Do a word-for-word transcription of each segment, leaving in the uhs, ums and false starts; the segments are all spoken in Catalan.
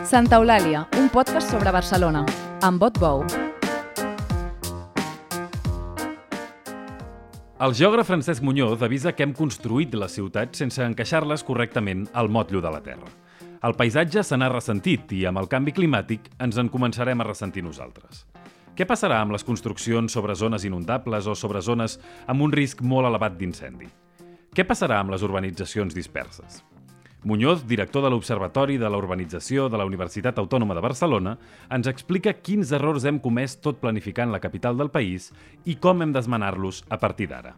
Santa Eulàlia, un podcast sobre Barcelona, amb Bot Bou. El geògraf Francesc Muñoz avisa que hem construït les ciutats sense encaixar-les correctament al motllo de la Terra. El paisatge se n'ha ressentit i amb el canvi climàtic ens en començarem a ressentir nosaltres. Què passarà amb les construccions sobre zones inundables o sobre zones amb un risc molt elevat d'incendi? Què passarà amb les urbanitzacions disperses? Muñoz, director de l'Observatori de la Urbanització de la Universitat Autònoma de Barcelona, ens explica quins errors hem comès tot planificant la capital del país i com hem d'esmenar-los a partir d'ara.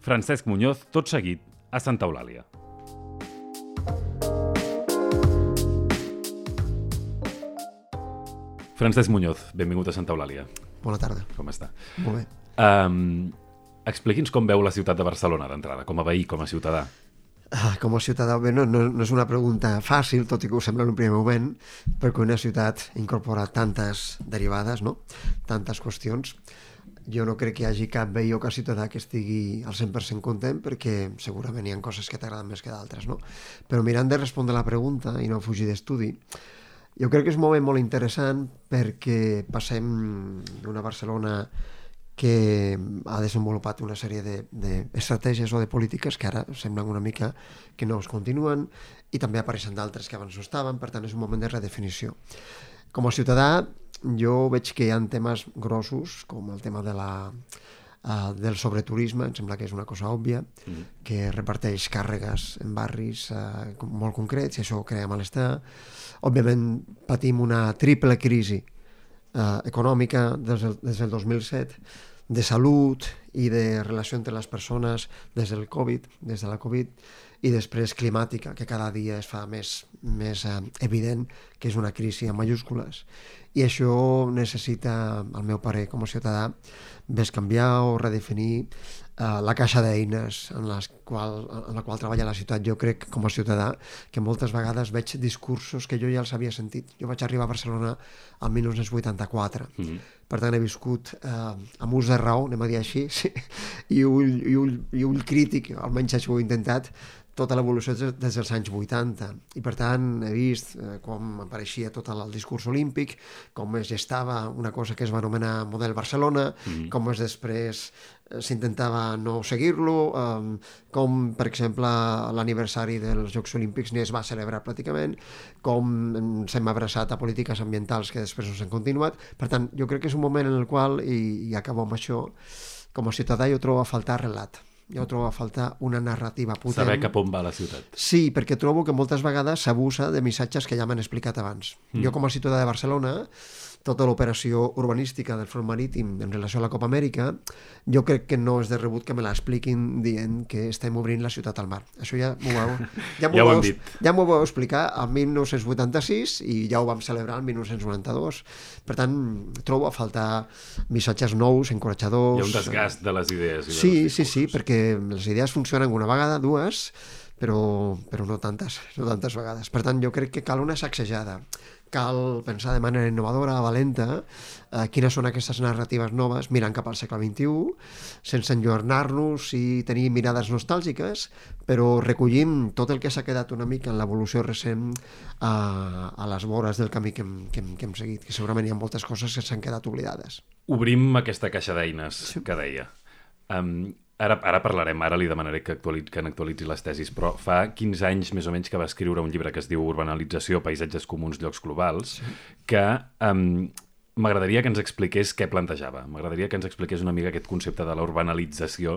Francesc Muñoz, tot seguit, a Santa Eulàlia. Francesc Muñoz, benvingut a Santa Eulàlia. Bona tarda. Com està? Molt bé. Um, expliqui'ns com veu la ciutat de Barcelona d'entrada, com a veí, com a ciutadà. Ah, com a ciutadà, bé, no, no, no és una pregunta fàcil, tot i que ho sembla en un primer moment, perquè una ciutat incorpora tantes derivades, no? Tantes qüestions. Jo no crec que hi hagi cap veí o cap ciutadà que estigui al cent per cent content, perquè segurament hi ha coses que t'agraden més que d'altres, no? Però mirant de respondre la pregunta i no fugir d'estudi, jo crec que és un moment molt interessant perquè passem d'una Barcelona que ha desenvolupat una sèrie d'estratègies o de polítiques que ara semblen una mica que no es continuen i també apareixen d'altres que abans no estaven, per tant és un moment de redefinició. Com a ciutadà jo veig que hi ha temes grossos com el tema de la, uh, del sobreturisme, em sembla que és una cosa òbvia, mm. que reparteix càrregues en barris uh, molt concrets i això crea malestar. Òbviament patim una triple crisi uh, econòmica des del, des del dos mil set, de salut i de relació entre les persones des del Covid, des de la Covid, i després climàtica, que cada dia es fa més, més eh, evident que és una crisi en majúscules. I això necessita, al meu parer, com a ciutadà, bescanviar o redefinir eh, la caixa d'eines en, les qual, en la qual treballa la ciutat. Jo crec, com a ciutadà, que moltes vegades veig discursos que jo ja els havia sentit. Jo vaig arribar a Barcelona el dinou vuitanta-quatre. Mm-hmm. Per tant, he viscut eh, amb ús de raó, anem a dir així, sí, i, ull, i, ull, i ull crític, almenys això ho he intentat, tota l'evolució des dels anys vuitanta. I per tant he vist eh, com apareixia tot el discurs olímpic, com es gestava una cosa que es va anomenar Model Barcelona, mm-hmm. com es després eh, s'intentava no seguir-lo, eh, com per exemple l'aniversari dels Jocs Olímpics ni es va celebrar pràcticament, com s'hem abraçat a polítiques ambientals que després no s'han continuat. Per tant, jo crec que és un moment en el qual, i, i acabo amb això, com a ciutadà jo trobo a faltar relat. Jo trobo a faltar una narrativa potent. Saber cap on va la ciutat. Sí, perquè trobo que moltes vegades s'abusa de missatges que ja m'han explicat abans. Mm. Jo com a ciutadà de Barcelona, tota l'operació urbanística del front marítim en relació a la Copa Amèrica, jo crec que no és de rebut que me l'expliquin dient que estem obrint la ciutat al mar. Això ja m'ho vau, ja m'ho ja vau, dit. ja m'ho vau explicar el dinou vuitanta-sis i ja ho vam celebrar el dinou noranta-dos. Per tant, trobo a faltar missatges nous, encoratjadors. Hi ha un desgast de les idees. I sí, de sí, sí, perquè les idees funcionen una vegada, dues, però, però no tantes, no tantes vegades. Per tant, jo crec que cal una sacsejada. Cal pensar de manera innovadora, valenta, eh, quines són aquestes narratives noves, mirant cap al segle vint-i-u, sense enlluernar-nos i tenir mirades nostàlgiques, però recollint tot el que s'ha quedat una mica en l'evolució recent a, a les vores del camí que hem, que, hem, que hem seguit, que segurament hi ha moltes coses que s'han quedat oblidades. Obrim aquesta caixa d'eines sí. que deia. Um, Ara, ara parlarem, ara li demanaré que, actualitzi, que n'actualitzi les tesis, però fa quinze anys més o menys que va escriure un llibre que es diu Urbanalització, paisatges comuns, llocs globals, sí. que um, m'agradaria que ens expliqués què plantejava. M'agradaria que ens expliqués una mica aquest concepte de la urbanalització,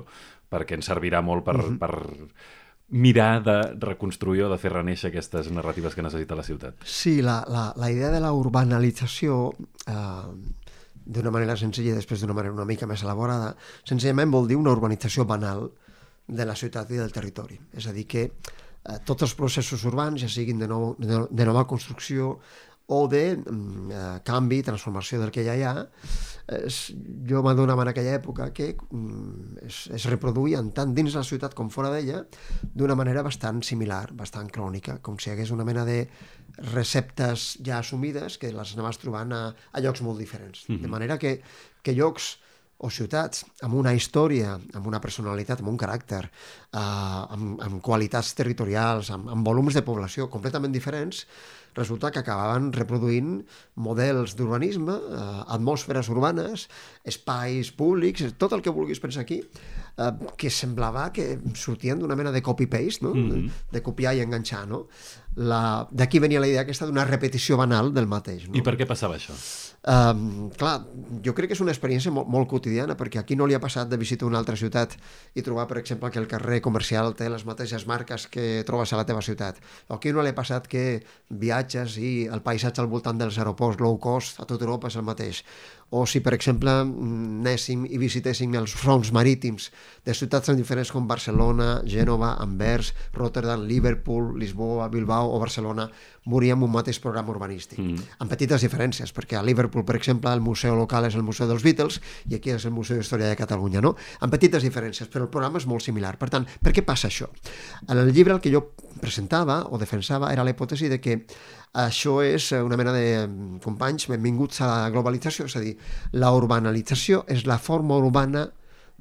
perquè ens servirà molt per, uh-huh. per mirar de reconstruir o de fer renéixer aquestes narratives que necessita la ciutat. Sí, la, la, la idea de la urbanalització... Eh... d'una manera senzilla i després d'una manera una mica més elaborada, senzillament vol dir una urbanització banal de la ciutat i del territori. És a dir, que eh, tots els processos urbans, ja siguin de, nou, de, de nova construcció o de eh, canvi, transformació del que ja hi ha, es, jo m'adonava en aquella època que mm, es, es reproduïen tant dins la ciutat com fora d'ella d'una manera bastant similar, bastant crònica, com si hi hagués una mena de receptes ja assumides que les anaves trobant a, a llocs molt diferents. Mm-hmm. De manera que, que llocs o ciutats amb una història, amb una personalitat, amb un caràcter, eh, amb, amb qualitats territorials, amb, amb volums de població completament diferents, resulta que acabaven reproduint models d'urbanisme, eh, atmosferes urbanes, espais públics, tot el que vulguis pensar aquí, eh, que semblava que sortien d'una mena de copy-paste, no? Mm-hmm. de, de copiar i enganxar, no? La... D'aquí venia la idea aquesta d'una repetició banal del mateix. No? I per què passava això? Um, clar, jo crec que és una experiència molt, molt quotidiana, perquè aquí no li ha passat de visitar una altra ciutat i trobar, per exemple, que el carrer comercial té les mateixes marques que trobes a la teva ciutat. O aquí no li ha passat que viatges i el paisatge al voltant dels aeroports low cost a tota Europa és el mateix. O si, per exemple, anéssim i visitéssim els fronts marítims de ciutats tan diferents com Barcelona, Gènova, Anvers, Rotterdam, Liverpool, Lisboa, Bilbao o Barcelona, veuríem un mateix programa urbanístic, mm. amb petites diferències, perquè a Liverpool, per exemple, el museu local és el Museu dels Beatles i aquí és el Museu d'Història de Catalunya, no? Amb petites diferències, però el programa és molt similar. Per tant, per què passa això? En el llibre el que jo presentava o defensava era la hipòtesi de que això és una mena de companys benvinguts a la globalització, és a dir, la urbanalització és la forma urbana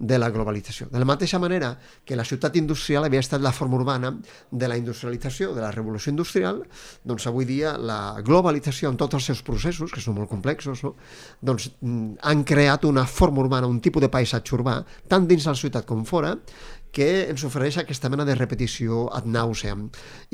de la globalització. De la mateixa manera que la ciutat industrial havia estat la forma urbana de la industrialització, de la revolució industrial, doncs avui dia la globalització en tots els seus processos, que són molt complexos, no? doncs han creat una forma urbana, un tipus de paisatge urbà, tant dins la ciutat com fora, que ens ofereix aquesta mena de repetició ad nauseam.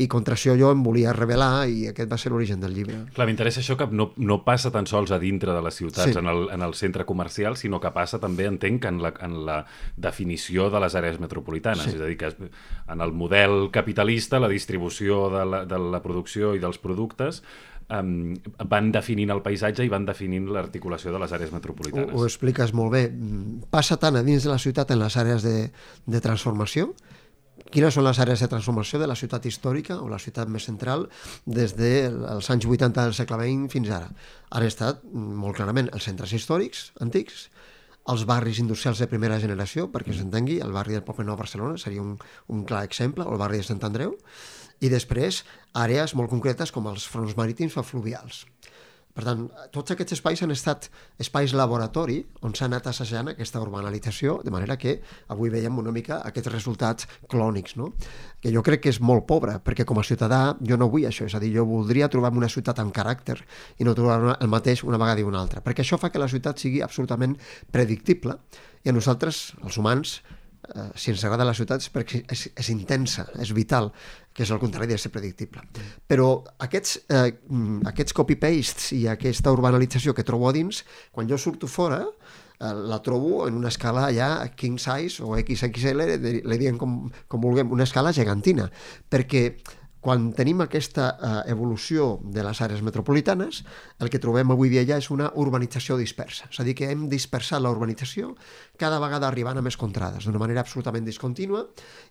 I contra això jo em volia revelar i aquest va ser l'origen del llibre. Clar, m'interessa això que no, no passa tan sols a dintre de les ciutats, Sí. en, el, en el centre comercial, sinó que passa també, entenc, en la, en la definició de les àrees metropolitanes. Sí. És a dir, que es- en el model capitalista, la distribució de la, de la producció i dels productes um, van definint el paisatge i van definint l'articulació de les àrees Ho, metropolitanes. ho expliques molt bé. Passa tant a dins de la ciutat en les àrees de, de transformació. Quines són les àrees de transformació de la ciutat històrica o la ciutat més central des dels anys vuitanta del segle vint fins ara? Han estat molt clarament els centres històrics antics, els barris industrials de primera generació, perquè s'entengui, el barri del Poble Nou a Barcelona seria un, un clar exemple, o el barri de Sant Andreu, i després àrees molt concretes com els fronts marítims o fluvials. Per tant, tots aquests espais han estat espais laboratori on s'ha anat assajant aquesta urbanalització, de manera que avui veiem una mica aquests resultats clònics, no? Que jo crec que és molt pobre, perquè com a ciutadà jo no vull això, és a dir, jo voldria trobar-me una ciutat amb caràcter i no trobar el mateix una vegada i una altra, perquè això fa que la ciutat sigui absolutament predictible i a nosaltres, els humans, eh, si ens agrada la ciutat és perquè és, és intensa, és vital, que és el contrari de ser predictible. Però aquests, eh, aquests copy-pastes i aquesta urbanalització que trobo a dins, quan jo surto fora, eh, la trobo en una escala ja king size o X X L, li diem com, com vulguem, una escala gegantina, perquè quan tenim aquesta eh, evolució de les àrees metropolitanes, el que trobem avui dia ja és una urbanització dispersa. És a dir, que hem dispersat la urbanització cada vegada arribant a més contrades, d'una manera absolutament discontínua,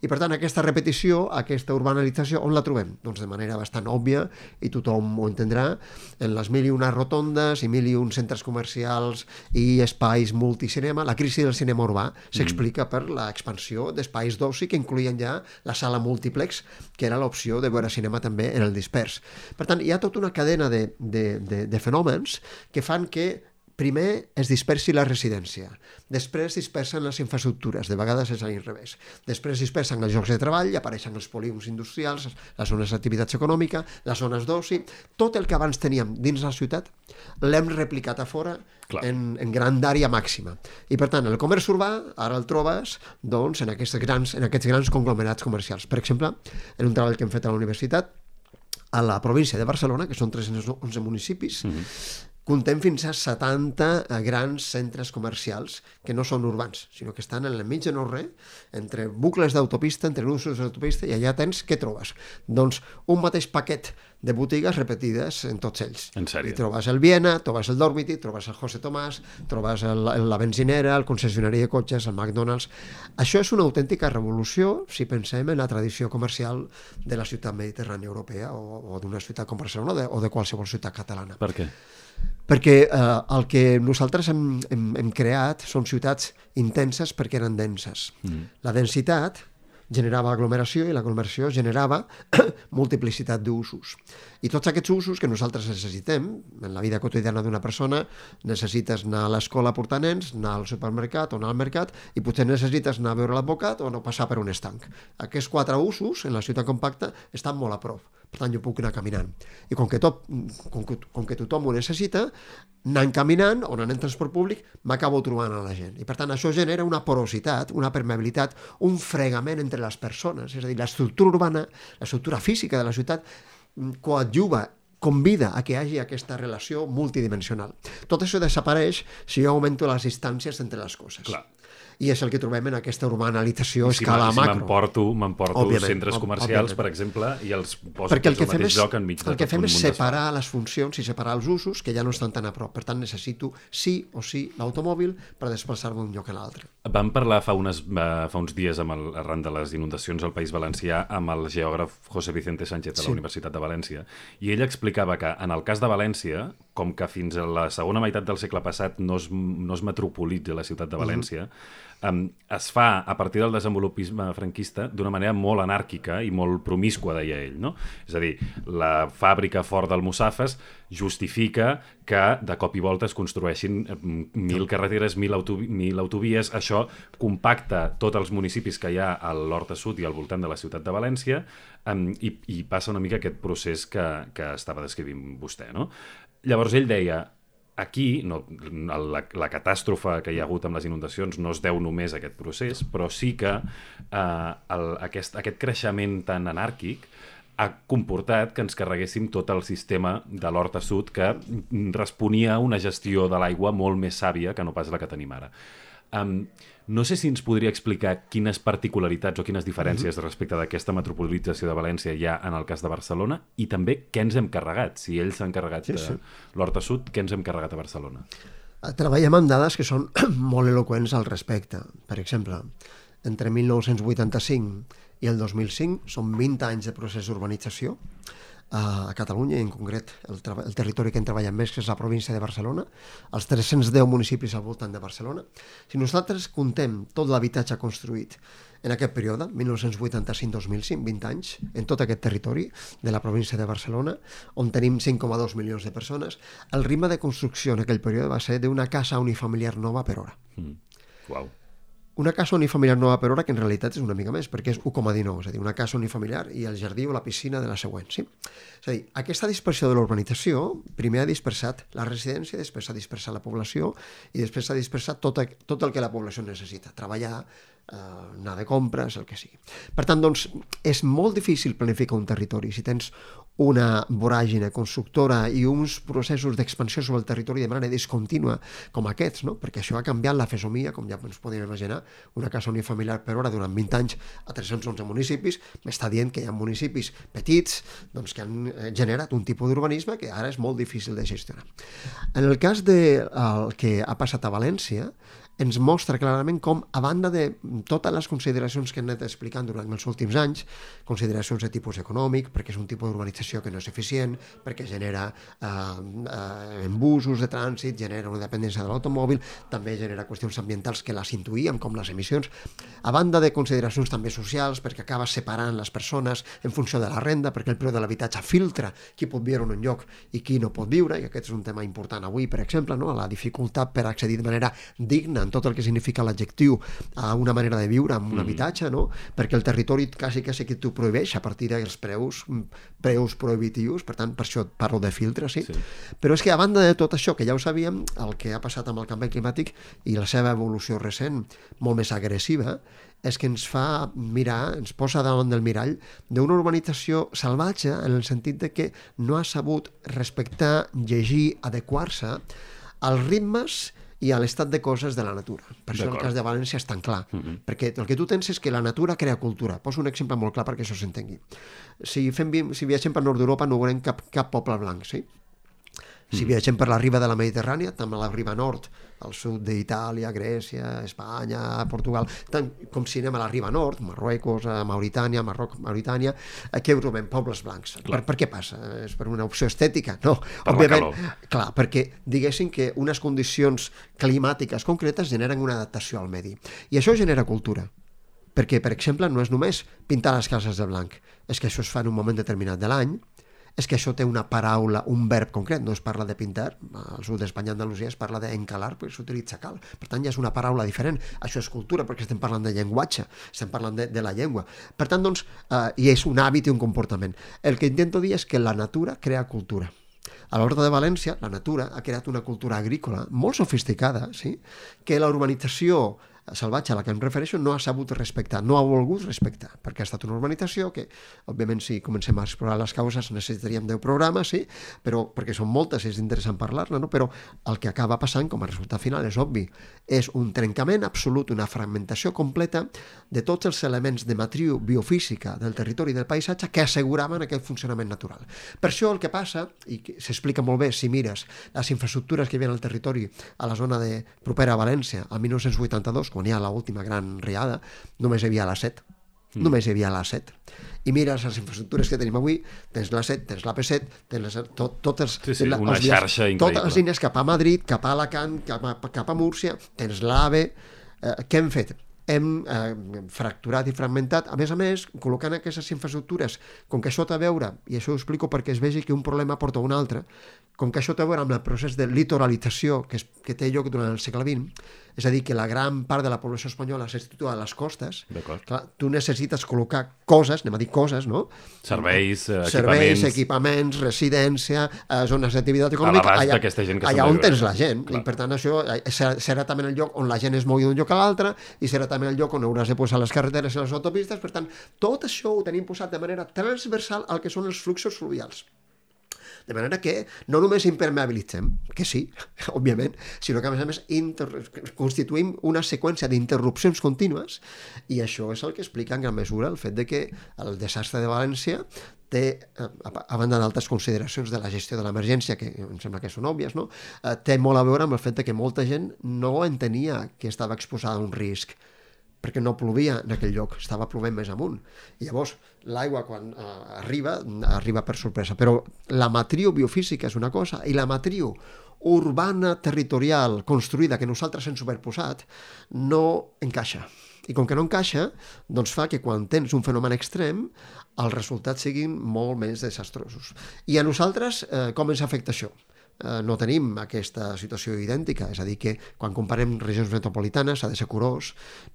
i per tant aquesta repetició, aquesta urbanalització, on la trobem? Doncs de manera bastant òbvia, i tothom ho entendrà, en les mil i una rotondes i mil i un centres comercials i espais multicinema. La crisi del cinema urbà s'explica per l'expansió d'espais d'oci que incloïen ja la sala múltiplex, que era l'opció de veure cinema també en el dispers. Per tant, hi ha tota una cadena de, de, de, de fenòmens que fan que primer es dispersi la residència, després es dispersen les infraestructures, de vegades és a l'inrevés, després es dispersen els llocs de treball, apareixen els polígons industrials, les zones d'activitat econòmica, les zones d'oci, tot el que abans teníem dins la ciutat l'hem replicat a fora en, en grandària màxima. I per tant, el comerç urbà ara el trobes doncs, en, aquests grans, en aquests grans conglomerats comercials. Per exemple, en un treball que hem fet a la universitat, a la província de Barcelona, que són tres-cents onze municipis, mm-hmm. Contem fins a setanta grans centres comercials que no són urbans, sinó que estan en el mig de no res, entre bucles d'autopista, entre nusos d'autopista, i allà tens, què trobes? Doncs un mateix paquet de botigues repetides en tots ells. En sèrio? I trobes el Viena, trobes el Dormity, trobes el José Tomàs, trobes el, la benzinera, el concessionari de cotxes, el McDonald's. Això és una autèntica revolució si pensem en la tradició comercial de la ciutat mediterrània europea o, o d'una ciutat com Barcelona o de, o de qualsevol ciutat catalana. Per què? Perquè eh, el que nosaltres hem, hem, hem creat són ciutats intenses perquè eren denses. Mm. La densitat generava aglomeració i l'aglomeració generava multiplicitat d'usos. I tots aquests usos que nosaltres necessitem, en la vida quotidiana d'una persona, necessites anar a l'escola a portar nens, anar al supermercat o anar al mercat, i potser necessites anar a veure l'advocat o no passar per un estanc. Aquests quatre usos en la ciutat compacta estan molt a prop. per tant jo puc anar caminant. I com que, tot, com que, com que tothom ho necessita, anant caminant o anant en transport públic, m'acabo trobant a la gent. I per tant això genera una porositat, una permeabilitat, un fregament entre les persones. És a dir, l'estructura urbana, l'estructura física de la ciutat coadjuva, convida a que hi hagi aquesta relació multidimensional. Tot això desapareix si jo augmento les distàncies entre les coses. Clar. I és el que trobem en aquesta urbanalització a si escala si macro. M'emporto, m'emporto centres comercials, òbviament, per exemple, i els poso perquè el que al mateix és, lloc enmig de el que fem tot un és munt separar les funcions i separar els usos que ja no estan tan a prop. Per tant, necessito sí o sí l'automòbil per desplaçar-me d'un lloc a l'altre. Vam parlar fa, unes, fa uns dies amb el, arran de les inundacions al País Valencià amb el geògraf José Vicente Sánchez de la sí. Universitat de València, i ell explicava que en el cas de València, com que fins a la segona meitat del segle passat no es, no es metropolitza la ciutat de València, uh-huh. Um, es fa a partir del desenvolupisme franquista d'una manera molt anàrquica i molt promiscua, deia ell, no? És a dir, la fàbrica fort d'Almussafes justifica que de cop i volta es construeixin mil carreteres, mil, autovi mil autovies. Això compacta tots els municipis que hi ha a l'Horta Sud i al voltant de la ciutat de València, um, i, i passa una mica aquest procés que, que estava descrivint vostè, no? Llavors ell deia, aquí no, la, la catàstrofe que hi ha hagut amb les inundacions no es deu només a aquest procés, però sí que eh, el, aquest, aquest creixement tan anàrquic ha comportat que ens carreguéssim tot el sistema de l'Horta Sud, que responia a una gestió de l'aigua molt més sàvia que no pas la que tenim ara. Um, no sé si ens podria explicar quines particularitats o quines diferències mm-hmm. respecte d'aquesta metropolització de València hi ha en el cas de Barcelona, i també què ens hem carregat. Si ells s'han carregat sí, sí. de l'Horta Sud, què ens hem carregat a Barcelona? Treballem amb dades que són molt eloqüents al respecte. Per exemple, entre mil nou-cents vuitanta-cinc i el dos mil cinc són vint anys de procés d'urbanització a Catalunya, i en concret el, el territori que en treballem més, que és la província de Barcelona, els tres-cents deu municipis al voltant de Barcelona. Si nosaltres contem tot l'habitatge construït en aquest període, mil nou-cents vuitanta-cinc-dos mil cinc, vint anys, en tot aquest territori de la província de Barcelona, on tenim cinc coma dos milions de persones, el ritme de construcció en aquell període va ser d'una casa unifamiliar nova per hora. Mm. Uau. Una casa unifamiliar nova per hora, que en realitat és una mica més, perquè és u coma dinou, és a dir, una casa unifamiliar i el jardí o la piscina de la següent. Sí? És a dir, aquesta dispersió de l'urbanització primer ha dispersat la residència, després s'ha dispersat la població i després s'ha dispersat tot, tot el que la població necessita, treballar, eh, anar de compres, el que sigui. Per tant, doncs, és molt difícil planificar un territori si tens una voràgine constructora i uns processos d'expansió sobre el territori de manera discontínua com aquests, no? Perquè això ha canviat la fesomia, com ja ens podem imaginar, una casa unifamiliar per hora durant vint anys a tres-cents onze municipis, m'està dient que hi ha municipis petits doncs, que han generat un tipus d'urbanisme que ara és molt difícil de gestionar. En el cas del que ha passat a València, ens mostra clarament com, a banda de totes les consideracions que hem anat explicant durant els últims anys, consideracions de tipus econòmic, perquè és un tipus d'urbanització que no és eficient, perquè genera eh, eh, embusos de trànsit, genera una dependència de l'automòbil, també genera qüestions ambientals que les intuïem, com les emissions, a banda de consideracions també socials, perquè acaba separant les persones en funció de la renda, perquè el preu de l'habitatge filtra qui pot viure en un lloc i qui no pot viure, i aquest és un tema important avui, per exemple, no? La dificultat per accedir de manera digna en tot el que significa l'adjectiu a una manera de viure amb un mm. habitatge, no? Perquè el territori quasi quasi que t'ho prohibeix a partir dels preus, preus prohibitius, per tant, per això parlo de filtre, sí? Sí. Però és que a banda de tot això, que ja ho sabíem, el que ha passat amb el canvi climàtic i la seva evolució recent, molt més agressiva, és que ens fa mirar, ens posa davant del mirall d'una urbanització salvatge en el sentit de que no ha sabut respectar, llegir, adequar-se als ritmes i a l'estat de coses de la natura. Per això el cas de València és tan clar, uh-huh. perquè el que tu tens és que la natura crea cultura. Poso un exemple molt clar perquè això s'entengui. Si, fem, si viatgem per nord d'Europa no veurem cap, cap poble blanc, sí? Si mm. viatgem per la riba de la Mediterrània, també a la riba nord, al sud d'Itàlia, Grècia, Espanya, Portugal, tant com si anem a la riba nord, Marruecos, Mauritània, Marroc, Mauritània, aquí trobem pobles blancs. Per, per què passa? És per una opció estètica? No. Per òbviament, clar, perquè diguéssim que unes condicions climàtiques concretes generen una adaptació al medi. I això genera cultura. Perquè, per exemple, no és només pintar les cases de blanc, és que això es fa en un moment determinat de l'any, és que això té una paraula, un verb concret, no es parla de pintar, al sud d'Espanya i Andalusia es parla d'encalar, perquè s'utilitza cal. Per tant, ja és una paraula diferent. Això és cultura, perquè estem parlant de llenguatge, estem parlant de, de la llengua. Per tant, doncs, eh, i és un hàbit i un comportament. El que intento dir és que la natura crea cultura. A l'Horta de València, la natura ha creat una cultura agrícola molt sofisticada, sí? Que la urbanització salvatge a la que em refereixo no ha sabut respectar, no ha volgut respectar, perquè ha estat una urbanització que, òbviament, si comencem a explorar les causes necessitaríem deu programes, sí, però perquè són moltes i és interessant parlar-ne, no? Però el que acaba passant com a resultat final és obvi, és un trencament absolut, una fragmentació completa de tots els elements de matriu biofísica del territori i del paisatge que asseguraven aquest funcionament natural. Per això el que passa, i s'explica molt bé si mires les infraestructures que hi havia al territori a la zona de propera a València, al dinou vuitanta-dos, quan hi ha l'última gran riada, només hi havia l'A set. Mm. Només hi havia l'A set. I mires les infraestructures que tenim avui, tens l'A set, tens l'A P set, tens les, tot, totes, sí, sí, la, una els xarxa vies, increïble. totes les línies cap a Madrid, cap a Alacant, cap a, cap a Múrcia, tens l'AVE. Eh, què hem fet? Hem eh, fracturat i fragmentat, a més a més, col·locant aquestes infraestructures, com que això té a veure, i això ho explico perquè es vegi que un problema porta un altre, com que això té a veure amb el procés de litoralització que, es, que té lloc durant el segle vint, és a dir, que la gran part de la població espanyola se situa a les costes, clar, tu necessites col·locar coses, anem a dir coses, no? Serveis, eh, Serveis, equipaments... equipaments, residència, eh, zones d'activitat econòmica, a l'abast allà, d'aquesta gent que allà on tens la clar. gent, clar. I per tant això serà, serà també el lloc on la gent es mogui d'un lloc a l'altre i serà també el lloc on hauràs de posar les carreteres i les autopistes, per tant, tot això ho tenim posat de manera transversal al que són els fluxos fluvials. De manera que no només impermeabilitzem, que sí, òbviament, sinó que a més a més inter... constituïm una seqüència d'interrupcions contínues i això és el que explica en gran mesura el fet de que el desastre de València té, a banda d'altres consideracions de la gestió de l'emergència, que em sembla que són òbvies, no? Té molt a veure amb el fet de que molta gent no entenia que estava exposada a un risc, perquè no plovia en aquell lloc, estava plovent més amunt. I llavors l'aigua quan eh, arriba, arriba per sorpresa. Però la matriu biofísica és una cosa i la matriu urbana territorial construïda que nosaltres hem superposat no encaixa. I com que no encaixa, doncs fa que quan tens un fenomen extrem els resultats siguin molt més desastrosos. I a nosaltres eh, com ens afecta això? Eh, no tenim aquesta situació idèntica, és a dir que quan comparem regions metropolitanes s'ha de ser curós,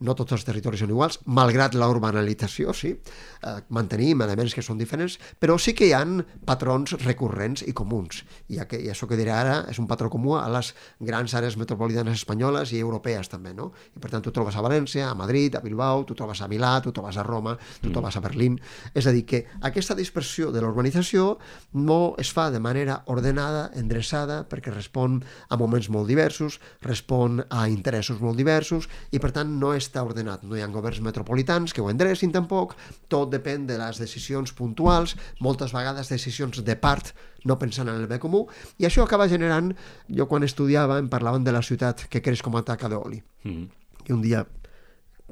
no tots els territoris són iguals, malgrat la urbanalització, sí, eh, mantenim elements que són diferents, però sí que hi ha patrons recurrents i comuns, i, aqu i això que diré ara és un patró comú a les grans àrees metropolitanes espanyoles i europees també, no? I per tant tu trobes a València, a Madrid, a Bilbao, tu trobes a Milà, tu trobes a Roma, tu mm. trobes a Berlín, és a dir que aquesta dispersió de l'urbanització no es fa de manera ordenada, endreçada, perquè respon a moments molt diversos, respon a interessos molt diversos i per tant no està ordenat. No hi ha governs metropolitans que ho endrecin tampoc, tot depèn de les decisions puntuals, moltes vegades decisions de part, no pensant en el bé comú, i això acaba generant, jo quan estudiava em parlaven de la ciutat que creix com a taca d'oli. Mm. I un dia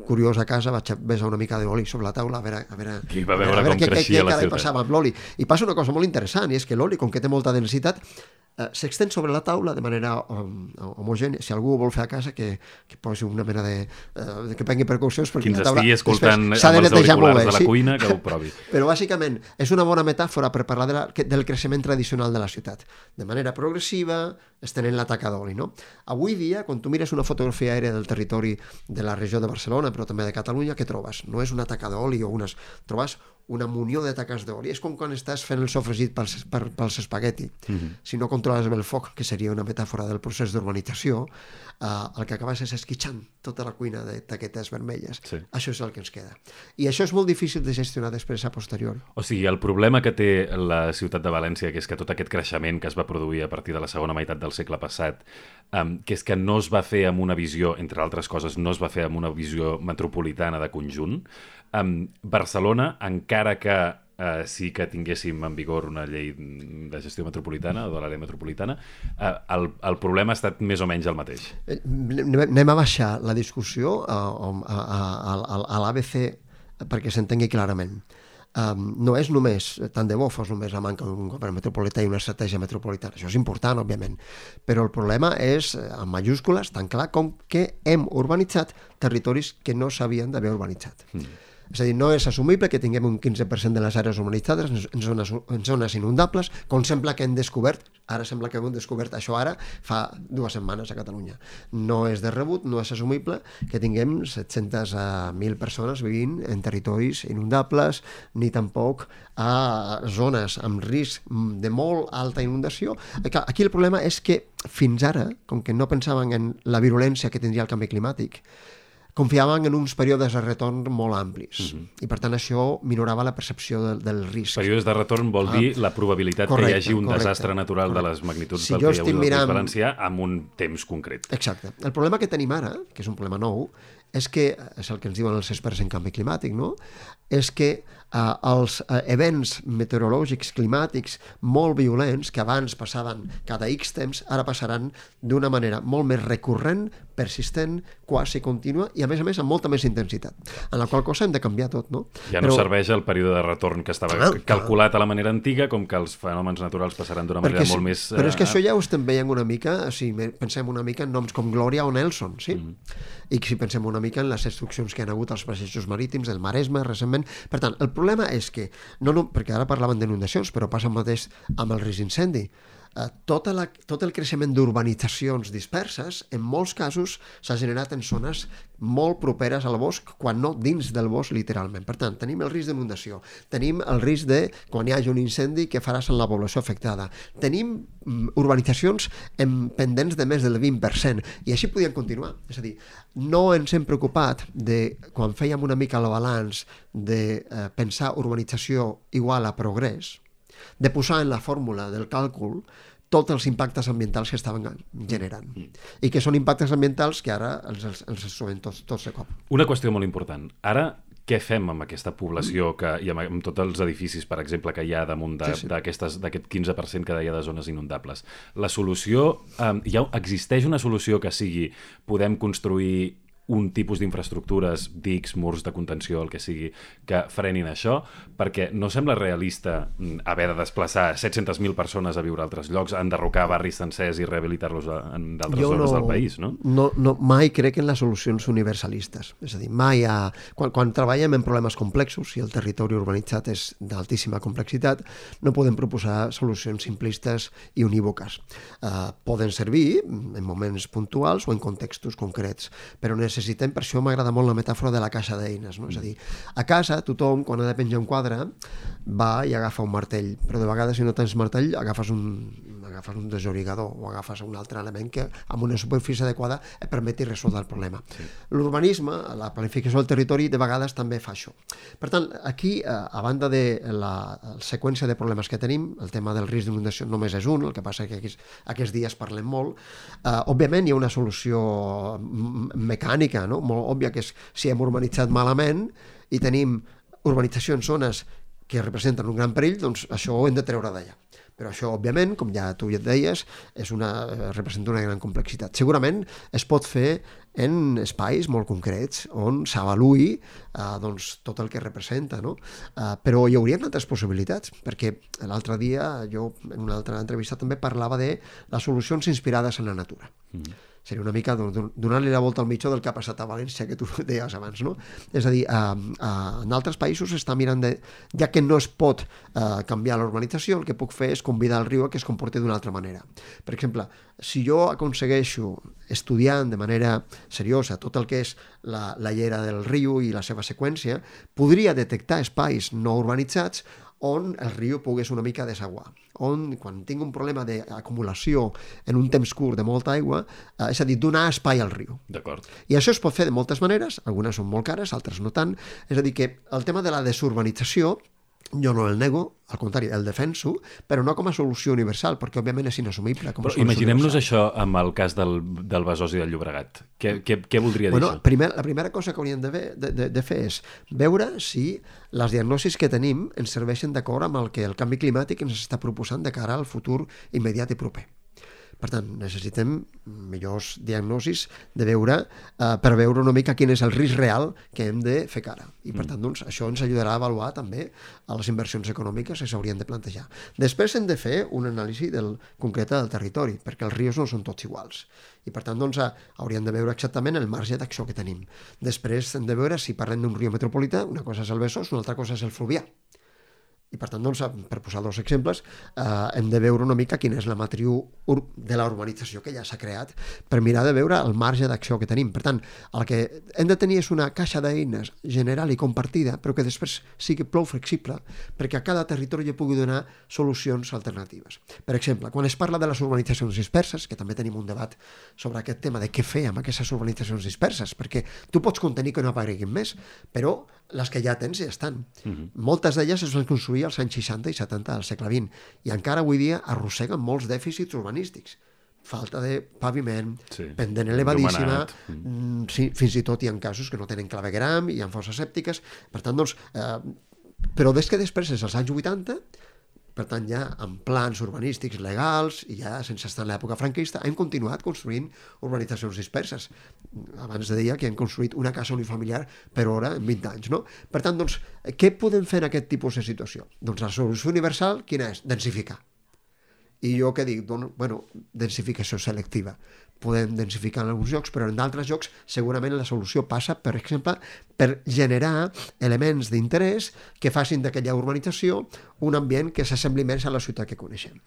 curiós a casa, vaig besar una mica d'oli sobre la taula a veure, a veure, Qui va veure a veure com què, creixia què, la què ciutat. passava amb l'oli. I passa una cosa molt interessant, i és que l'oli, com que té molta densitat, eh, s'extén sobre la taula de manera um, homogènia. Si algú ho vol fer a casa, que, que posi una mena de... Uh, que prengui precaucions, perquè Qui ens la taula estigui escoltant s'ha de amb els netejar molt auriculars bé. de la Sí? cuina, que ho provi. Però bàsicament és una bona metàfora per parlar de la, del creixement tradicional de la ciutat. De manera progressiva, estenent la taca d'oli, no? Avui dia, quan tu mires una fotografia aèria del territori de la regió de Barcelona, però també de Catalunya, què trobes? No és una taca d'oli o unes... Trobes una munió de taques d'oli. És com quan estàs fent el sofregit pels, per, pels espagueti. Mm-hmm. Si no controles bé el foc, que seria una metàfora del procés d'urbanització, eh, el que acabes és esquitxant tota la cuina de taquetes vermelles. Sí. Això és el que ens queda. I això és molt difícil de gestionar després a posterior. O sigui, el problema que té la ciutat de València, que és que tot aquest creixement que es va produir a partir de la segona meitat del segle passat, um, que és que no es va fer amb una visió, entre altres coses, no es va fer amb una visió metropolitana de conjunt. Um, Barcelona, encara que uh, sí que tinguéssim en vigor una llei de gestió metropolitana o de l'àrea metropolitana, uh, el, el problema ha estat més o menys el mateix. Anem a baixar la discussió a, a, a, a, a l'A B C perquè s'entengui clarament. Um, no és només, tant de bo fos només la manca d'un govern metropolità i una estratègia metropolitana, això és important, òbviament, però el problema és, en majúscules, tan clar com que hem urbanitzat territoris que no s'havien d'haver urbanitzat. Mm. És a dir, no és assumible que tinguem un quinze per cent de les àrees urbanitzades en zones, en zones inundables, com sembla que hem descobert, ara sembla que hem descobert això ara fa dues setmanes a Catalunya. No és de rebut, no és assumible que tinguem set-centes mil persones vivint en territoris inundables, ni tampoc a zones amb risc de molt alta inundació. Aquí el problema és que fins ara, com que no pensaven en la virulència que tindria el canvi climàtic, confiaven en uns períodes de retorn molt amplis. Uh-huh. I, per tant, això minorava la percepció del, del risc. Períodes de retorn vol dir ah, la probabilitat correcte, que hi hagi un correcte, desastre natural correcte. De les magnituds si del que hi ha hagut mirant... al País Valencià amb un temps concret. Exacte. El problema que tenim ara, que és un problema nou, és que, és el que ens diuen els experts en canvi climàtic, no? És que eh, els eh, events meteorològics climàtics molt violents, que abans passaven cada X temps, ara passaran d'una manera molt més recurrent, persistent, quasi contínua i, a més a més, amb molta més intensitat. En la qual cosa hem de canviar tot, no? Ja no Però... serveix el període de retorn que estava ah, calculat a la manera antiga, com que els fenòmens naturals passaran d'una manera Perquè, molt més... Però és que això ja ho estem veient una mica, si pensem una mica en noms com Glòria o Nelson, sí? Mm. I si pensem una mica en les destruccions que han hagut als passejos marítims del Maresme recentment. Per tant, el problema és que, no, no, perquè ara parlaven d'inundacions, però passa el mateix amb el risc d'incendi. Uh, tota la, tot el creixement d'urbanitzacions disperses, en molts casos, s'ha generat en zones molt properes al bosc, quan no dins del bosc, literalment. Per tant, tenim el risc d'inundació, tenim el risc de, quan hi hagi un incendi, que faràs en la població afectada. Tenim um, urbanitzacions en pendents de més del vint per cent, i així podien continuar. És a dir, no ens hem preocupat de, quan fèiem una mica el balanç, de uh, pensar urbanització igual a progrés, de posar en la fórmula del càlcul tots els impactes ambientals que estaven generant. I que són impactes ambientals que ara els, els, els trobem tots, tots de cop. Una qüestió molt important. Ara, què fem amb aquesta població que, i amb, amb tots els edificis, per exemple, que hi ha damunt de, sí, sí. d'aquest quinze per cent que deia de zones inundables? La solució... Eh, ja existeix una solució que sigui podem construir un tipus d'infraestructures, dics, murs de contenció, el que sigui, que frenin això, perquè no sembla realista haver de desplaçar set-centes mil persones a viure a altres llocs, enderrocar barris sencers i rehabilitar-los en d'altres jo zones no, del país, no? no? No, mai crec en les solucions universalistes. És a dir, mai ha... Quan, quan treballem en problemes complexos, i el territori urbanitzat és d'altíssima complexitat, no podem proposar solucions simplistes i unívoques. Uh, poden servir en moments puntuals o en contextos concrets, però necessitem necessitem, per això m'agrada molt la metàfora de la caixa d'eines, no? És a dir, a casa tothom, quan ha de penjar un quadre, va i agafa un martell, però de vegades si no tens martell agafes un, agafes un desorigador o agafes un altre element que amb una superfície adequada et permeti resoldre el problema. Sí. L'urbanisme, la planificació del territori, de vegades també fa això. Per tant, aquí, a banda de la, la seqüència de problemes que tenim, el tema del risc d'inundació només és un, el que passa que aquests, aquests dies parlem molt, eh, òbviament hi ha una solució mecànica, no? Molt òbvia, que és si hem urbanitzat malament i tenim urbanització en zones que representen un gran perill, doncs això ho hem de treure d'allà. Però això, òbviament, com ja tu ja et deies, és una, representa una gran complexitat. Segurament es pot fer en espais molt concrets on s'avaluï eh, doncs, tot el que representa, no? Eh, però hi haurien altres possibilitats, perquè l'altre dia jo en una altra entrevista també parlava de les solucions inspirades en la natura. Mm. Seria una mica donar-li la volta al mitjó del que ha passat a València, que tu deies abans, no? És a dir, eh, eh, en altres països s'està mirant de... Ja que no es pot eh, canviar l'urbanització, el que puc fer és convidar el riu a que es comporti d'una altra manera. Per exemple, si jo aconsegueixo, estudiant de manera seriosa tot el que és la, la llera del riu i la seva seqüència, podria detectar espais no urbanitzats on el riu pogués una mica desaguar, on quan tinc un problema d'acumulació en un temps curt de molta aigua, eh, és a dir, donar espai al riu. D'acord. I això es pot fer de moltes maneres, algunes són molt cares, altres no tant, és a dir, que el tema de la desurbanització jo no el nego, al contrari, el defenso, però no com a solució universal, perquè òbviament és inassumible com a però imaginem-nos això amb el cas del, del Besòs i del Llobregat. Què, què, què voldria dir bueno, això? Primer, la primera cosa que hauríem de, de, de, de fer és veure si les diagnosis que tenim ens serveixen d'acord amb el que el canvi climàtic ens està proposant de cara al futur immediat i proper. Per tant, necessitem millors diagnosis de veure, eh, per veure una mica quin és el risc real que hem de fer cara. I per tant, doncs, això ens ajudarà a avaluar també a les inversions econòmiques que s'haurien de plantejar. Després hem de fer una anàlisi del, concreta del territori, perquè els rius no són tots iguals. I per tant, doncs, hauríem de veure exactament el marge d'acció que tenim. Després hem de veure si parlem d'un riu metropolità, una cosa és el Besòs, una altra cosa és el Fluvià. I per tant, doncs, per posar dos exemples, eh, hem de veure una mica quina és la matriu de la urbanització que ja s'ha creat per mirar de veure el marge d'acció que tenim. Per tant, el que hem de tenir és una caixa d'eines general i compartida, però que després sigui prou flexible perquè a cada territori hi pugui donar solucions alternatives. Per exemple, quan es parla de les urbanitzacions disperses, que també tenim un debat sobre aquest tema de què fer amb aquestes urbanitzacions disperses, perquè tu pots contenir que no apareguin més, però les que ja tens ja estan. Uh-huh. Moltes d'elles es van construir als anys seixanta i setanta del segle vint i encara avui dia arrosseguen molts dèficits urbanístics. Falta de paviment, sí, pendent elevadíssima, mm. sí, fins i tot hi ha casos que no tenen clavegueram, hi ha fosses sèptiques. Per tant, doncs, eh, però des que després, és als anys vuitanta, per tant, ja amb plans urbanístics legals, i ja sense estar en l'època franquista, hem continuat construint urbanitzacions disperses. Abans deia que hem construït una casa unifamiliar per hora en vint anys, no? Per tant, doncs, què podem fer en aquest tipus de situació? Doncs la solució universal, quina és? Densificar. I jo què dic? Doncs, bueno, densificació selectiva. Podem densificar en alguns llocs, però en d'altres llocs segurament la solució passa, per exemple, per generar elements d'interès que facin d'aquella urbanització un ambient que s'assembli més a la ciutat que coneixem.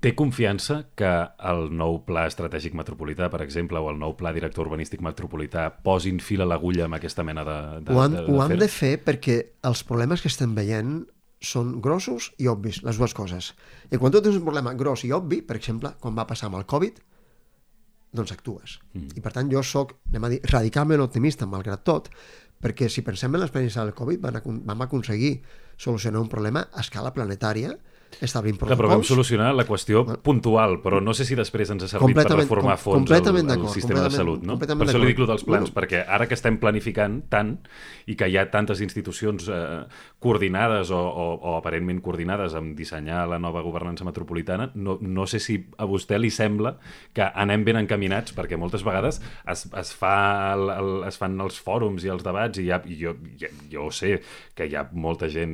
Té confiança que el nou pla estratègic metropolità, per exemple, o el nou pla director urbanístic metropolità posin fil a l'agulla amb aquesta mena de, de, ho han, de, de ho han de fer perquè els problemes que estem veient són grossos i obvis, les dues coses. I quan tu tens un problema gros i obvi, per exemple, quan va passar amb el Covid, doncs actues. Mm. I per tant jo soc, anem a dir, radicalment optimista, malgrat tot, perquè si pensem en l'experiència del Covid, vam, vam aconseguir solucionar un problema a escala planetària, establint protocols. Però vam solucionar la qüestió puntual, però no sé si després ens ha servit per reformar fons el, el sistema de salut, no? Per això li dic lo dels plans, bueno, perquè ara que estem planificant tant i que hi ha tantes institucions eh, coordinades o, o, o aparentment coordinades amb dissenyar la nova governança metropolitana, no, no sé si a vostè li sembla que anem ben encaminats, perquè moltes vegades es, es, fa el, el, es fan els fòrums i els debats i, ha, i jo, jo, jo sé que hi ha molta gent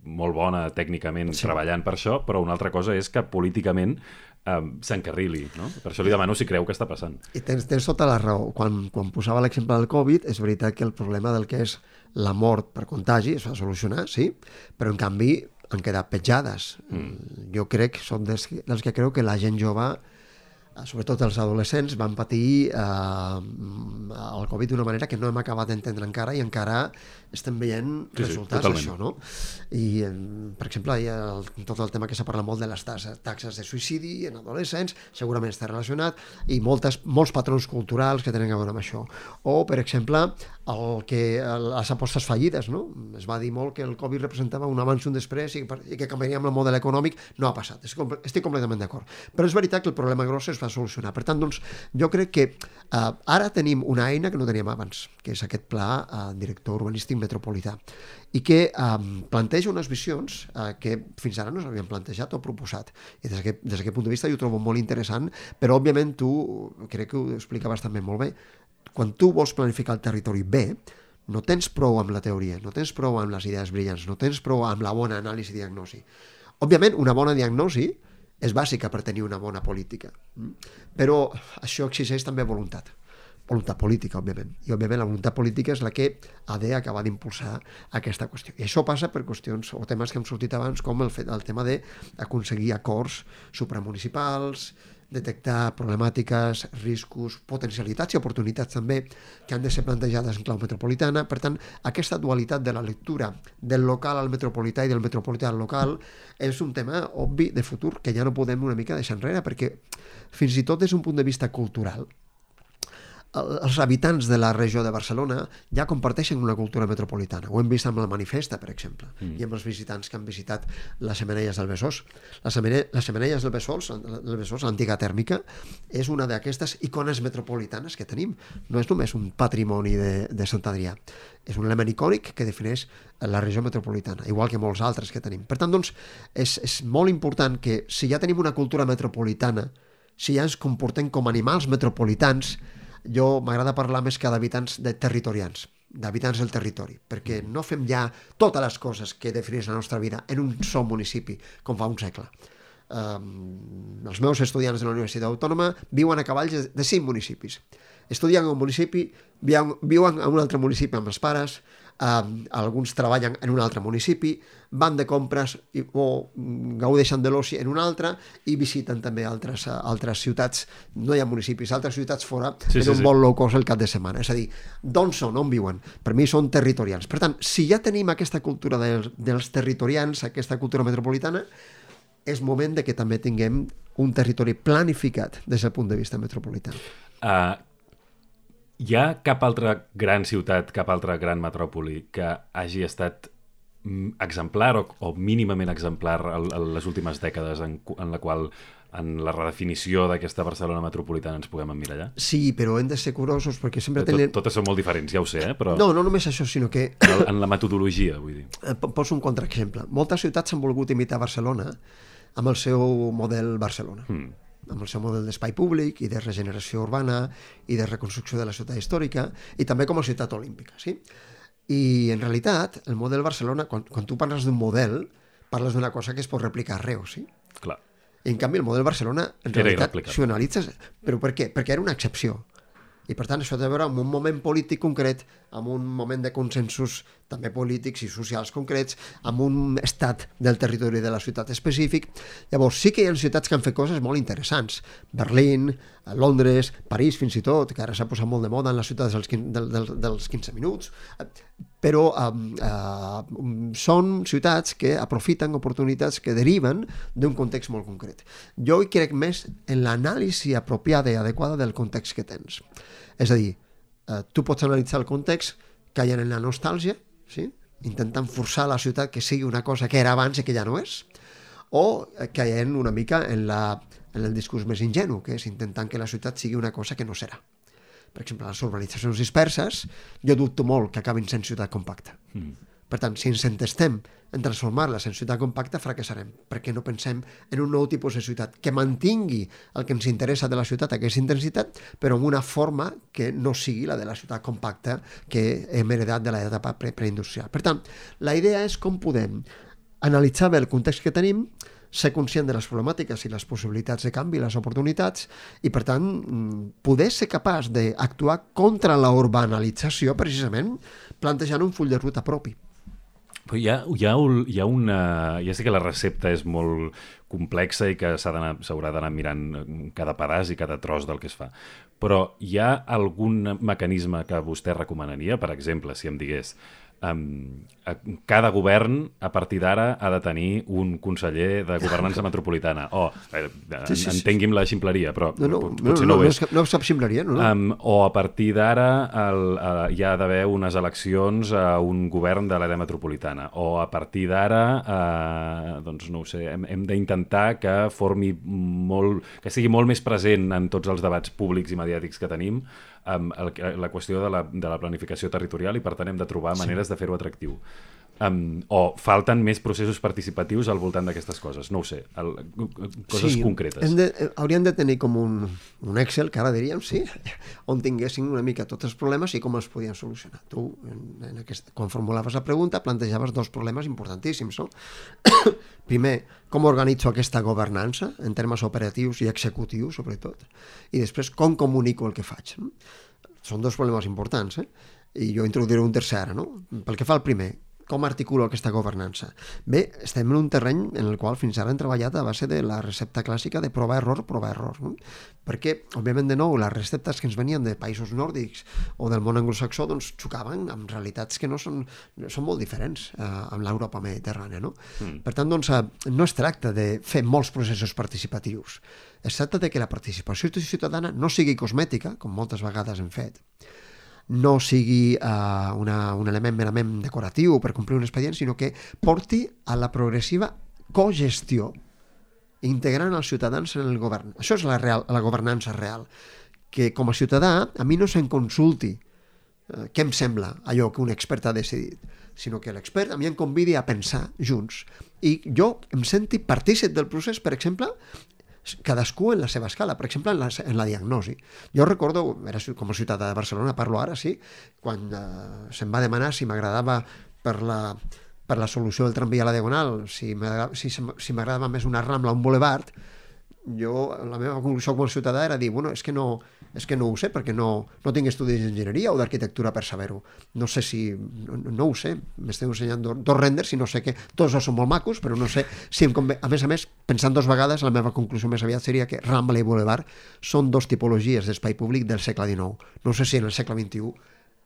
molt bona tècnicament sí. treballant per això, però una altra cosa és que políticament eh, s'encarrili, no? Per això li demano si creu que està passant. I tens, tens tota la raó. Quan, quan posava l'exemple del Covid, és veritat que el problema del que és la mort per contagi es va solucionar, sí, però en canvi han quedat petjades. Mm. Jo crec, són dels, dels que creu que la gent jove, sobretot els adolescents, van patir eh, el Covid d'una manera que no hem acabat d'entendre encara i encara estem veient sí, resultats sí, d'això, no? I, per exemple, hi ha el, tot el tema que s'ha parlat molt de les taxes, taxes de suïcidi en adolescents, segurament està relacionat, i moltes, molts patrons culturals que tenen a veure amb això. O, per exemple, el que, les apostes fallides, no? Es va dir molt que el Covid representava un abans i un després i, i que canviaríem el model econòmic. No ha passat, estic completament d'acord. Però és veritat que el problema gros es va solucionar. Per tant, doncs, jo crec que eh, ara tenim una eina que no teníem abans, que és aquest pla eh, director urbanístic metropolità, i que eh, planteja unes visions eh, que fins ara no s'havien plantejat o proposat. I des d'aquest, des d'aquest punt de vista jo ho trobo molt interessant, però òbviament tu, crec que ho explicaves també molt bé, quan tu vols planificar el territori bé, no tens prou amb la teoria, no tens prou amb les idees brillants, no tens prou amb la bona anàlisi i diagnosi. Òbviament, una bona diagnosi és bàsica per tenir una bona política. Però això exigeix també voluntat. Voluntat política, òbviament. I, òbviament, la voluntat política és la que ha d'acabar d'impulsar aquesta qüestió. I això passa per qüestions o temes que hem sortit abans, com el, fet, el tema d'aconseguir acords supramunicipals, detectar problemàtiques, riscos, potencialitats i oportunitats també que han de ser plantejades en clau metropolitana. Per tant, aquesta dualitat de la lectura del local al metropolità i del metropolità al local és un tema obvi de futur que ja no podem una mica deixar enrere, perquè fins i tot des d'un punt de vista cultural els habitants de la regió de Barcelona ja comparteixen una cultura metropolitana. Ho hem vist amb la Manifesta, per exemple, mm. i amb els visitants que han visitat les Xemeneies del Besòs. Les Xemeneies del Besòs, del Besòs, l'antiga tèrmica, és una d'aquestes icones metropolitanes que tenim. No és només un patrimoni de, de Sant Adrià. És un element icònic que defineix la regió metropolitana, igual que molts altres que tenim. Per tant, doncs, és, és molt important que si ja tenim una cultura metropolitana, si ja ens comportem com animals metropolitans, jo m'agrada parlar més que d'habitants de territorians, d'habitants del territori, perquè no fem ja totes les coses que defineix la nostra vida en un sol municipi, com fa un segle. Um, els meus estudiants de la Universitat Autònoma viuen a cavalls de cinc municipis. Estudien en un municipi, viuen, viuen en un altre municipi amb els pares, um, alguns treballen en un altre municipi, van de compres i, o gaudeixen de l'oci en un altre i visiten també altres, altres ciutats, no hi ha municipis, altres ciutats fora, sí, en sí, un sí. vol low cost el cap de setmana. És a dir, d'on són, on viuen? Per mi són territorians. Per tant, si ja tenim aquesta cultura dels, dels territorians, aquesta cultura metropolitana, és moment de que també tinguem un territori planificat des del punt de vista metropolità. Uh, hi ha cap altra gran ciutat, cap altra gran metròpoli que hagi estat exemplar o, o mínimament exemplar en les últimes dècades en, en la qual en la redefinició d'aquesta Barcelona metropolitana ens puguem emmirallar? Sí, però hem de ser curosos perquè sempre Tot, tenen... Totes són molt diferents, ja ho sé, eh? Però... No, no només això, sinó que... En la metodologia, vull dir. Poso un contraexemple. Moltes ciutats han volgut imitar Barcelona amb el seu model Barcelona. Mm. amb el seu model d'espai públic i de regeneració urbana i de reconstrucció de la ciutat històrica i també com a ciutat olímpica, sí? I en realitat, el model Barcelona, quan, quan tu parles d'un model, parles d'una cosa que es pot replicar arreu, sí? Clar. I en canvi el model Barcelona, en realitat, si ho analitzes... Però per què? Perquè era una excepció. I per tant això té a veure amb un moment polític concret, amb un moment de consensos també polítics i socials concrets, amb un estat del territori de la ciutat específic. Llavors sí que hi ha ciutats que han fet coses molt interessants. Berlín, Londres, París fins i tot, que ara s'ha posat molt de moda en les ciutats dels, dels, dels quinze minuts, però eh, eh, són ciutats que aprofiten oportunitats que deriven d'un context molt concret. Jo hi crec més en l'anàlisi apropiada i adequada del context que tens. És a dir, eh, tu pots analitzar el context caient en la nostàlgia, sí? Intentant forçar la ciutat que sigui una cosa que era abans i que ja no és, o caient una mica en, la, en el discurs més ingenu, que és intentant que la ciutat sigui una cosa que no serà. Per exemple, les urbanitzacions disperses, jo dubto molt que acabin sent ciutat compacta. Mm. Per tant, si ens entestem en transformar-les en ciutat compacta, fracassarem, perquè no pensem en un nou tipus de ciutat que mantingui el que ens interessa de la ciutat, aquesta intensitat, però amb una forma que no sigui la de la ciutat compacta que hem heredat de l'etapa pre preindustrial. Per tant, la idea és com podem analitzar bé el context que tenim, ser conscient de les problemàtiques i les possibilitats de canvi, les oportunitats, i per tant poder ser capaç d'actuar contra la urbanalització precisament plantejant un full de ruta propi. Però hi ha, hi ha, hi ha una... Ja sé que la recepta és molt complexa i que s'haurà d'anar mirant cada pedaç i cada tros del que es fa, però hi ha algun mecanisme que vostè recomanaria? Per exemple, si em digués Um, cada govern a partir d'ara ha de tenir un conseller de governança metropolitana o, eh, sí, sí, entengui'm la ximpleria, però no, no, potser no, no, no, ho és. No, no sap ximpleria, no? no. Um, o a partir d'ara uh, hi ha d'haver unes eleccions a un govern de l'àrea metropolitana, o a partir d'ara uh, doncs no ho sé, hem, hem d'intentar que formi molt, que sigui molt més present en tots els debats públics i mediàtics que tenim Um, el, la qüestió de la, de la planificació territorial i per tant hem de trobar maneres sí. de fer-ho atractiu. Um, o falten més processos participatius al voltant d'aquestes coses, no ho sé, el, coses sí, concretes. De, hauríem de tenir com un, un Excel, que ara diríem, sí, on tinguessin una mica tots els problemes i com els podien solucionar. Tu, en, en aquest, quan formulaves la pregunta, plantejaves dos problemes importantíssims, no? Primer, com organitzo aquesta governança, en termes operatius i executius, sobretot, i després, com comunico el que faig. No? Són dos problemes importants, eh? I jo introduiré un tercer ara, no? Pel que fa al primer, com articulo aquesta governança? Bé, estem en un terreny en el qual fins ara hem treballat a base de la recepta clàssica de prova-error, prova-error, no? Perquè, òbviament, de nou, les receptes que ens venien de països nòrdics o del món anglosaxó doncs, xocaven amb realitats que no són, són molt diferents eh, amb l'Europa mediterrània, no? Mm. Per tant, doncs, eh, no es tracta de fer molts processos participatius. Es tracta de que la participació ciutadana no sigui cosmètica, com moltes vegades hem fet, no sigui uh, una, un element merament decoratiu per complir un expedient, sinó que porti a la progressiva cogestió integrant els ciutadans en el govern. Això és la, real, la governança real, que com a ciutadà a mi no se'm consulti uh, què em sembla allò que un expert ha decidit, sinó que l'expert a mi em convidi a pensar junts i jo em senti partícip del procés, per exemple, cadascú en la seva escala, per exemple, en la, en la diagnosi. Jo recordo, era com a ciutadà de Barcelona, parlo ara, sí, quan eh, se'm va demanar si m'agradava per la, per la solució del tramvia a la Diagonal, si m'agradava si, si més una Rambla o un Boulevard, jo, la meva conclusió com a ciutadà era dir, bueno, és que no, és que no ho sé, perquè no, no tinc estudis d'enginyeria o d'arquitectura per saber-ho. No sé si... No, no ho sé. M'estem ensenyant dos, dos renders i no sé què. Tots dos són molt macos, però no sé si em convé. A més a més, pensant dos vegades, la meva conclusió més aviat seria que Rambla i Boulevard són dos tipologies d'espai públic del segle dinou. No sé si en el segle vint-i-u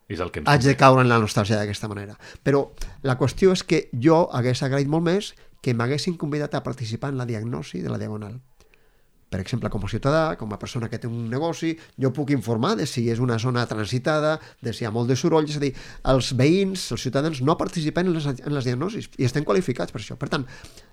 és el que haig de caure en la nostàlgia d'aquesta manera. Però la qüestió és que jo hagués agraït molt més que m'haguessin convidat a participar en la diagnosi de la Diagonal. Per exemple, com a ciutadà, com a persona que té un negoci, jo puc informar de si és una zona transitada, de si hi ha molt de soroll, és a dir, els veïns, els ciutadans no participen en les, en les diagnosis i estem qualificats per això. Per tant,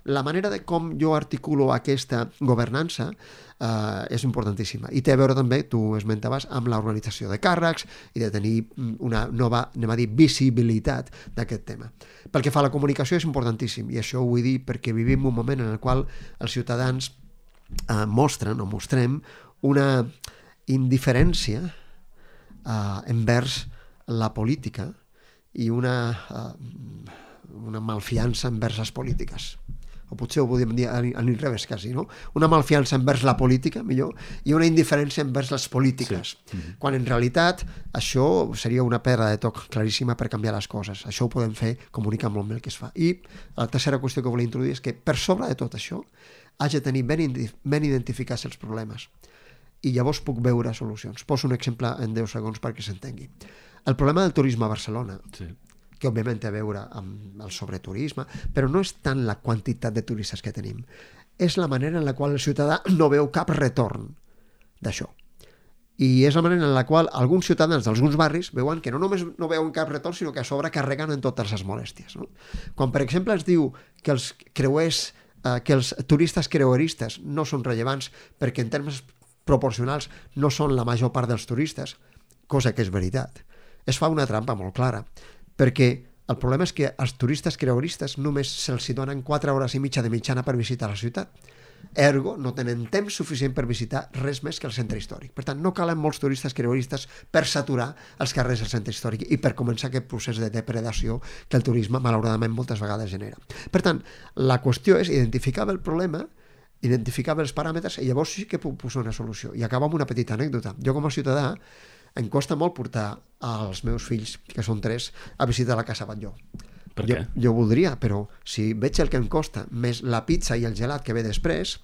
la manera de com jo articulo aquesta governança eh, és importantíssima i té a veure també, tu esmentaves, amb l'organització de càrrecs i de tenir una nova, anem a dir, visibilitat d'aquest tema. Pel que fa a la comunicació és importantíssim i això ho vull dir perquè vivim un moment en el qual els ciutadans Uh, mostren o mostrem una indiferència uh, envers la política i una, uh, una malfiança envers les polítiques. O potser ho podríem dir a l'inrevés quasi, no? Una malfiança envers la política, millor, i una indiferència envers les polítiques. Sí. Mm-hmm. Quan en realitat això seria una pedra de toc claríssima per canviar les coses. Això ho podem fer comunicant molt bé el que es fa. I la tercera qüestió que volia introduir és que per sobre de tot això haig de tenir ben, ben identificats els problemes i llavors puc veure solucions. Poso un exemple en deu segons perquè s'entengui. El problema del turisme a Barcelona, sí, que òbviament té a veure amb el sobreturisme, però no és tant la quantitat de turistes que tenim, és la manera en la qual el ciutadà no veu cap retorn d'això. I és la manera en la qual alguns ciutadans d'alguns barris veuen que no només no veuen cap retorn, sinó que a sobre carreguen en totes les molèsties. No? Quan, per exemple, es diu que els creuers que els turistes creueristes no són rellevants perquè en termes proporcionals no són la major part dels turistes, cosa que és veritat. Es fa una trampa molt clara, perquè el problema és que als turistes creueristes només se'ls donen quatre hores i mitja de mitjana per visitar la ciutat. Ergo, no tenen temps suficient per visitar res més que el centre històric. Per tant, no calen molts turistes creueristes per saturar els carrers del centre històric i per començar aquest procés de depredació que el turisme, malauradament, moltes vegades genera. Per tant, la qüestió és identificar el problema, identificar els paràmetres i llavors sí que puc posar una solució. I acabo amb una petita anècdota. Jo, com a ciutadà, em costa molt portar els meus fills, que són tres, a visitar la Casa Batlló. Per jo, què? jo voldria, però si veig el que em costa, més la pizza i el gelat que ve després,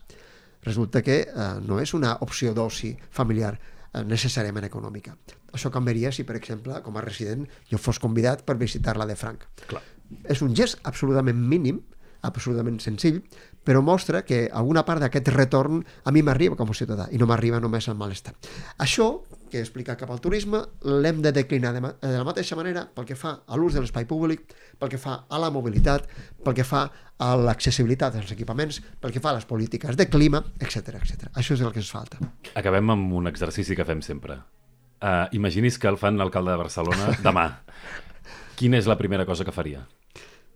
resulta que eh, no és una opció d'oci familiar eh, necessàriament econòmica. Això canviaria si, per exemple, com a resident, jo fos convidat per visitar-la de franc. Clar. És un gest absolutament mínim, absolutament senzill, però mostra que alguna part d'aquest retorn a mi m'arriba com a ciutadà i no m'arriba només el malestar. Això, que he explicat cap al turisme, l'hem de declinar de, de la mateixa manera pel que fa a l'ús de l'espai públic, pel que fa a la mobilitat, pel que fa a l'accessibilitat dels equipaments, pel que fa a les polítiques de clima, etcètera, etcètera. Això és el que ens falta. Acabem amb un exercici que fem sempre. Uh, imagini's que el fan l'alcalde de Barcelona demà. Quina és la primera cosa que faria?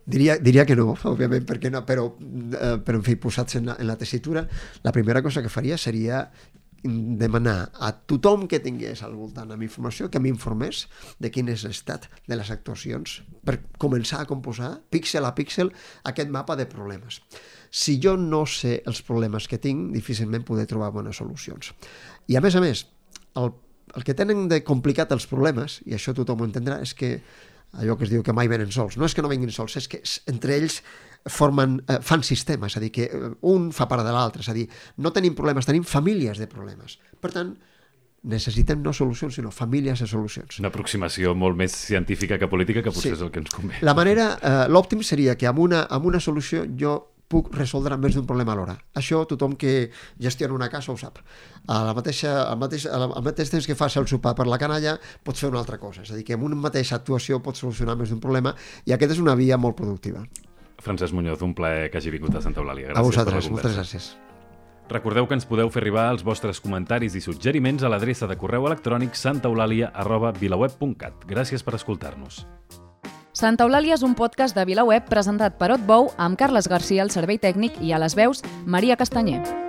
Diria, diria que no, òbviament, perquè no, però, eh, però en fi, posats en la, en la tessitura, la primera cosa que faria seria demanar a tothom que tingués al voltant amb informació que m'informés de quin és l'estat de les actuacions per començar a composar, píxel a píxel, aquest mapa de problemes. Si jo no sé els problemes que tinc, difícilment podré trobar bones solucions. I a més a més, el, el que tenen de complicat els problemes, i això tothom ho entendrà, és que allò que es diu que mai venen sols. No és que no venguin sols, és que entre ells formen, eh, fan sistema, és a dir, que un fa part de l'altre, és a dir, no tenim problemes, tenim famílies de problemes. Per tant, necessitem no solucions, sinó famílies de solucions. Una aproximació molt més científica que política, que potser sí. És el que ens convé. La manera, eh, l'òptim seria que amb una, amb una solució jo puc resoldre més d'un problema alhora. Això tothom que gestiona una casa ho sap. A la mateixa, al, mateix, al mateix temps que fas el sopar per la canalla, pots fer una altra cosa. És a dir, que amb una mateixa actuació pots solucionar més d'un problema i aquesta és una via molt productiva. Francesc Muñoz, un plaer que hagi vingut a Santa Eulàlia. Gràcies. A vosaltres, moltes gràcies. Recordeu que ens podeu fer arribar els vostres comentaris i suggeriments a l'adreça de correu electrònic santaeulàlia arroba vilaweb punt cat. Gràcies per escoltar-nos. Santa Eulàlia és un podcast de VilaWeb presentat per Otbou amb Carles Garcia al servei tècnic i a les veus Maria Castanyer.